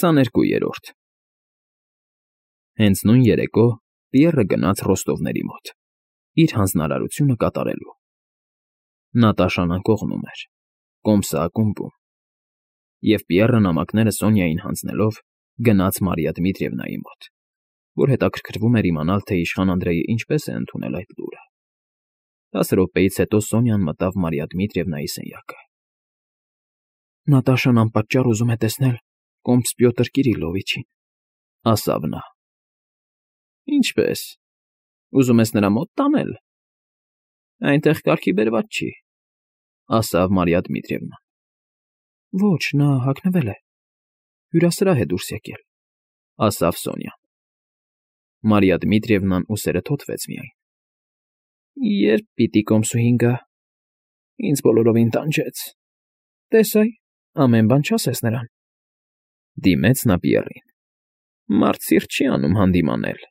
22-րդ Հենց նույն երեկո Պիեռը գնաց Ռոստովների մոտ, իր հանձնարարությունը կատարելու։ Նատաշան անկողնում էր, կոմսը ակումբում, և Պիեռը նամակները Սոնյային հանձնելով գնաց Մարիա Դմիտրիևնայի մոտ, որ հետաքրքրվում էր իմանալ, թե իշխան Անդրեյը ինչպես է ընդունել այդ լուրը։ 10 րոպեից հետո Սոնյան մտավ Մարիա Դմիտրիևնայի սենյակը։ Նատաշան անպատճառ ուզում է տեսնել կոմս Պյոտր Կիրիլովիչին, ասավ նա։ Ինչպե՞ս, ուզում ես նրա մոտ տանել։ Այնտեղ կարգի բերված չի, ասավ Մարիա Դմիտրիևնան։ Ոչ, նա հագնվել է, հյուրասրահ է դուրս եկել, ասավ Սոնյան։ Մարիա Դմիտրիևնան ուսերը թոթվեց միայն։ Երբ պիտի կոմսուհին գա, ինձ բոլորովին տանջեց։ Տես այ, ամեն բան չասես նրան։ Դիմեց նա Պիեռին։ Մարդ սիրտ չի անում հանդիմանել,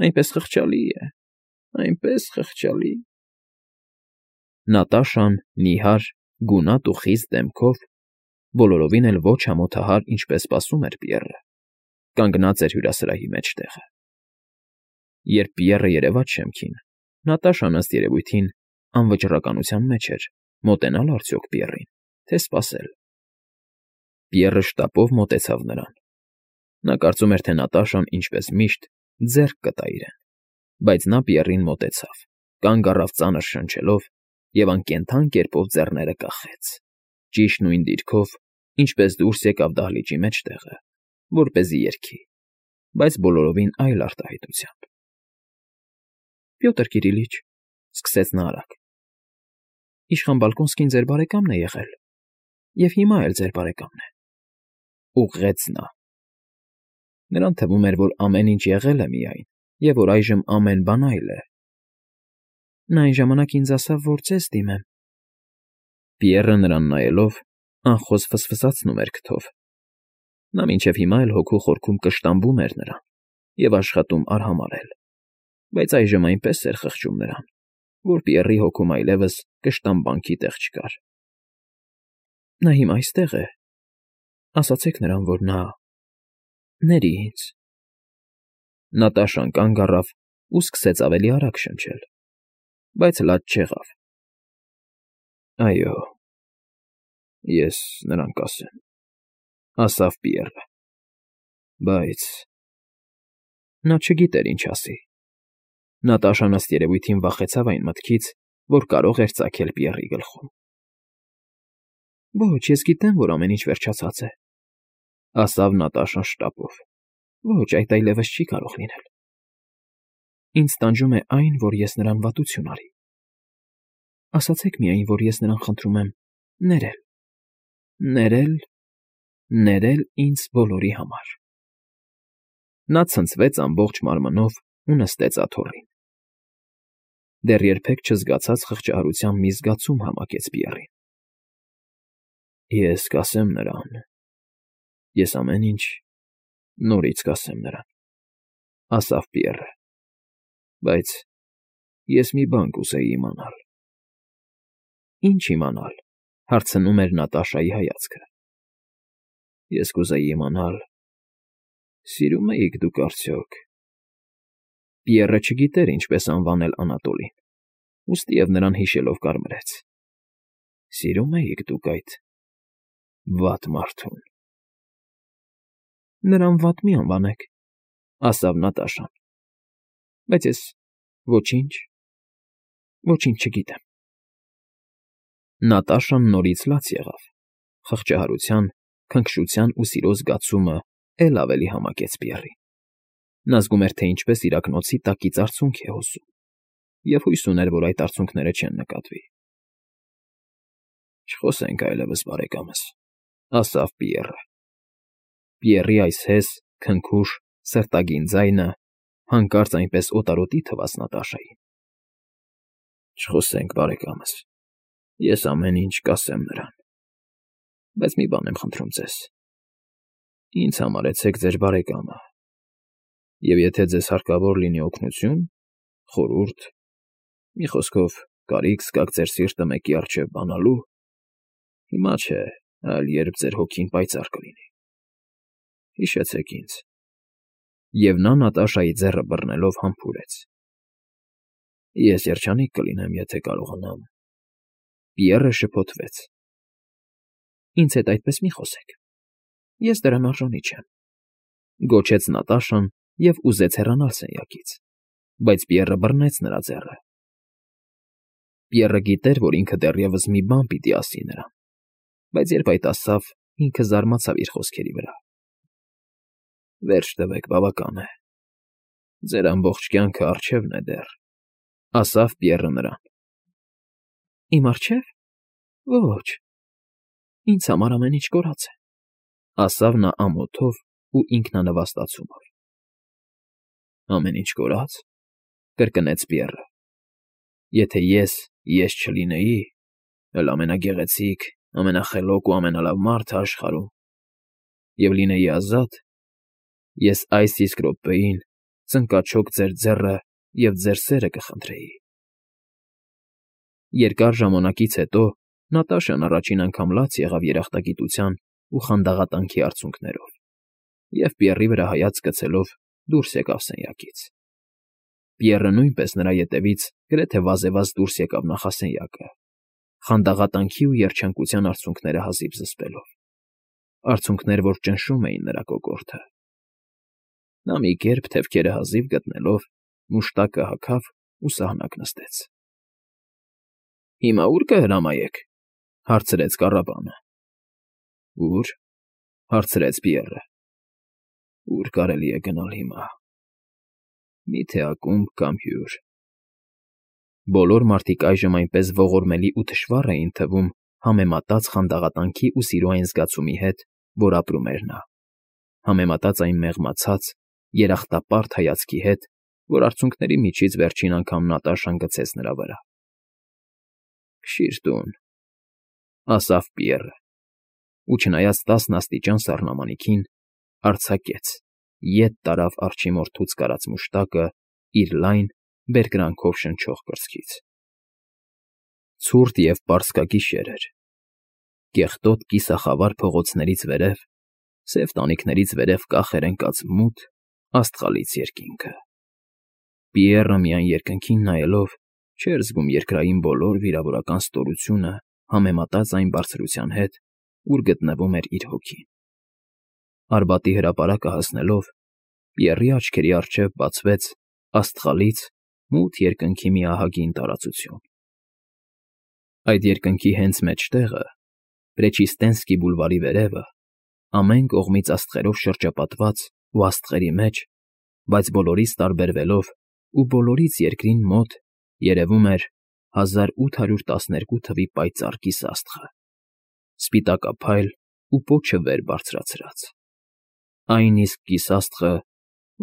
այնպես խղճալի է, այնպես խղճալի։ Նատաշան նիհար, գունատ ու խիստ դեմքով, բոլորովին էլ ոչ ամոթահար, ինչպես սպասում էր Պիեռը, կանգնած էր հյուրասրահի մեջտեղը։ Երբ Պիեռը երևաց շեմքին, Նատաշան ըստ երևույթին անվճռականության մեջ էր, մոտենալ արդյոք Պիեռին, թե սպասել։ Պիեռը շտապով մոտեցավ նրան։ Նա կարծում էր, թե Նատաշան, ինչպես միշտ, ձեռք կտա իրեն, բայց նա Պիեռին մոտեցավ, կանգ առավ ծանր շնչելով և անկենդան կերպով ձեռները կախեց, ճիշտ նույն դիրքով, ինչպես դուրս եկավ դահլիճի մեջտեղը, որպեսզի երգի, բայց բոլորովին այլ արտահայտությամբ։ Պյոտր Կիրիլիչ, սկսեց նա արագ, իշխան Բալկոնսկին ձեր բարեկամն է եղել, և հիմա էլ ձեր բարեկամն է, ուղղեց նա։ Նրան թվում էր, որ ամեն ինչ եղել է միայն, և որ այժմ ամեն բան այլ է։ Նա այն ժամանակ ինձ ասավ, որ ձեզ դիմեմ։ Պիեռը նրան նայելով անխոզ ֆսֆսացնում էր քթով։ Նա մինչև հիմա էլ հոգու խորքում կշտամբում էր նրան և աշխատում արհամարհել, բայց այժմ այնպես էր խղճում նրան, որ Պիեռի հոգում այլևս կշտամբանքի տեղ չկար։ Նա հիմա այստեղ է, ասացեք նրան, որ նա ների ինձ։ Նատաշան կանգ առավ ու սկսեց ավելի արագ շնչել, բայց լաց չեղավ։ Այո, ես նրան կասեմ, ասավ Պիեռը, բայց… Նա չգիտեր ինչ ասի։ Նատաշան ըստ երևույթին վախեցավ այն մտքից, որ կարող էր ծագել Պիեռի գլխում։ Ոչ, ես գիտեմ, որ ամեն ինչ վերջացած է, ասավ Նատաշան շտապով։ Ոչ, այդ այլևս չի կարող լինել։ Ինձ տանջում է այն, որ ես նրան վատություն արի։ Ասացեք միայն, որ ես նրան խնդրում եմ ներել, ներել ինձ բոլորի համար։ Նա ցնցվեց ամբողջ մարմնով ու նստեց աթոռին։ Դեռ երբեք չզգացած խղճահարության մի զգացում համակեց Պիեռին։ Ես կասեմ նրան, ես ամեն ինչ նորից կասեմ նրան, ասավ Պիեռը, բայց ես մի բան կուզեի իմանալ։ Ինչ իմանալ, հարցնում էր Նատաշայի հայացքը։ Ես կուզեի իմանալ, սիրո՞ւմ էիք դուք արդյոք։ Պիեռը չգիտեր ինչպես անվանել Անատոլին, ուստիև նրան հիշելով կարմրեց։ Սիրո՞ւմ էիք դուք այդ վատ մարդուն։ Նրան վատ մի անվանեք, ասավ Նատաշան, բայց ես ոչինչ չգիտեմ։ Նատաշան նորից լաց եղավ, խղճահարության, քնքշության ու սիրո զգացումը էլ ավելի համակեց Պիեռին։ Նա զգում էր, թե ինչպես իրակնոցի տակից արցունք է հոսում, և հույս ուներ, որ այդ արցունքները չեն նկատվի։ Չխոսենք այլևս, բարեկամս, ասավ Պիեռը։ Պիեռի այս հես, քնքուշ, սրտագին ձայնը հանկարծ այնպես օտարոտի թվաց Նատաշային։ Չխոսենք, բարեկամս, ես ամեն ինչ կասեմ նրան, բայց մի բան եմ խնդրում ձեզ. ինձ համարեցեք ձեր բարեկամը, և եթե ձեզ հարկավոր լինի օգնություն, խորհուրդ, մի խոսքով կարիք զգաք ձեր սիրտը մեկի առջև բանալու, հիմա չէ, այլ երբ ձեր հոգին պայծառ կլինի, Հիշեցեք ինձ։ Եվ նա Նատաշայի ձեռը բռնելով համբուրեց։ Ես երջանիկ կլինեմ, եթե կարողանամ։ Պիեռը շփոթվեց։ Ինձ հետ այդպես մի խոսեք։ Ես դրան արժանի չեմ։ Գոչեց Նատաշան և ուզեց հեռանալ սենյակից, բայց Պիեռը բռնեց նրա ձեռը։ Պիեռը գիտեր, որ ինքը դեռևս մի բան պիտի ասի նրան, բայց երբ այդ ասավ, ինքը զարմացավ իր խոսքերի վրա։ Վերջ տվեք, բավական է։ Ձեր ամբողջ կյանքը առջևն է դեռ, ասավ Պիեռը նրան։ Իմ առջև։ Ոչ, ինձ համար ամեն ինչ կորած է, ասավ նա ամոթով ու ինքնանվաստացումով։ Ամեն ինչ կորած, կրկնեց Պիեռը։ Եթե ես չլինեի, էլ ամենագեղեցիկ, ամենախելոք ու ամենալավ մարդը աշխարհում, և լինեի ազատ, ես այս իսկ րոպեին ծնկաչոք ձեր ձեռը և ձեր սերը կխնդրեի։ Երկար ժամանակից հետո Նատաշան առաջին անգամ լաց եղավ երախտագիտության ու խանդաղատանքի արցունքներով, և Պիեռի վրա հայացք գցելով դուրս եկավ սենյակից։ Պիեռը նույնպես նրա ետևից գրեթե վազեվազ դուրս եկավ նախասենյակը, խանդաղատանքի ու երջանկության արցունքները հազիվ զսպելով, արցունքներ, որ ճնշում էին նրա կոկորդը։ Նա մի կերպ թևքերը հազիվ գտնելով մուշտակը հագավ ու սահնակ նստեց։ Հիմա ո՞ւր կհրամայեք, հարցրեց կառապանը։ Ո՞ւր, հարցրեց Պիեռը։ Ո՞ւր կարելի է գնալ հիմա։ Մի՞թե ակումբ կամ հյուր։ Բոլոր մարդիկ այժմ այնպես ողորմելի ու թշվառ էին թվում համեմատած խանդաղատանքի ու սիրո այն զգացումի հետ, որ ապրում էր նա, համեմատած այն մեղմացած, երախտապարտ հայացքի հետ, որ արցունքների միջից վերջին անգամ Նատաշան գցեց նրա վրա։ Քշի՛ր տուն, ասավ Պիեռը, ու չնայած 10 աստիճան սառնամանիքին, արձակեց, ետ տարավ արջի մորթուց կարած մուշտակը իր լայն, բերկրանքով շնչող կրծքից։ Ցուրտ և պարսկագիշեր էր։ Կեղտոտ կիսախավար փողոցներից վերև, սև տանիքներից վերև կախ էր ընկած մութ, աստղալից երկինքը։ Պիեռը միայն երկնքին նայելով չէր զգում երկրային բոլոր վիրավորական ստորությունը համեմատած այն բարձրության հետ, ուր գտնվում էր իր հոգին։ Արբատի հրապարակը հասնելով, Պիեռի աչքերի առջև բացվեց աստղալից մութ երկնքի մի ահագին տարածություն։ Այդ երկնքի հենց մեջտեղը, Պրեչիստենսկի բուլվարի վերևը, ամեն կողմից աստղերով շրջապատված ու աստղերի մեջ, բայց բոլորից տարբերվելով ու բոլորից երկրին մոտ, երևում էր 1812 թվի պայծառ կիսաստղը, սպիտակափայլ ու պոչը վեր բարձրացրած։ Այն իսկ կիսաստղը,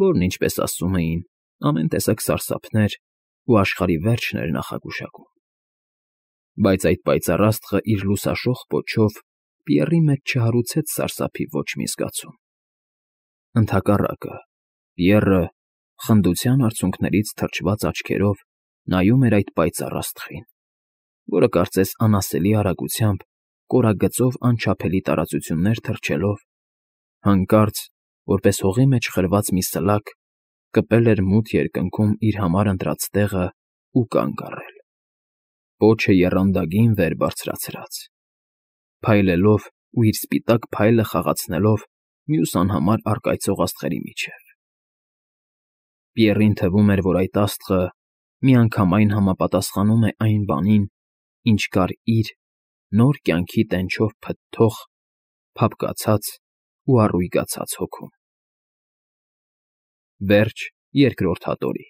որն, ինչպես ասում էին, ամեն տեսակ սարսափներ ու աշխարհի վերջն էր նախագուշակում։ Բայց այդ պայծառ աստղը իր լուսաշող պոչով Պիեռի մեջ չհարուցեց սարսափի ոչ մի զգացում։ Ընդհակառակը, Պիեռը խնդության արցունքներից թրջված աչքերով նայում էր այդ պայծառ աստղին, որը կարծես անասելի արագությամբ, կորագծով անչափելի տարածություններ թռչելով, հանկարծ, որպես հողի մեջ խրված մի սլակ, կպել էր մութ երկնքում իր համար ընտրած տեղը ու կանգ առել, պոչը եռանդագին վեր բարձրացրած, փայլելով ու իր սպիտակ փայլը խաղացնելով մյուս անհամար առկայծող աստղերի միջև։ Պիեռին թվում էր, որ այդ աստղը միանգամայն համապատասխանում է այն բանին, ինչ կար իր նոր կյանքի տենչով փթթող, փափկացած ու առույգացած հոգում։ Վերջ երկրորդ հատորի։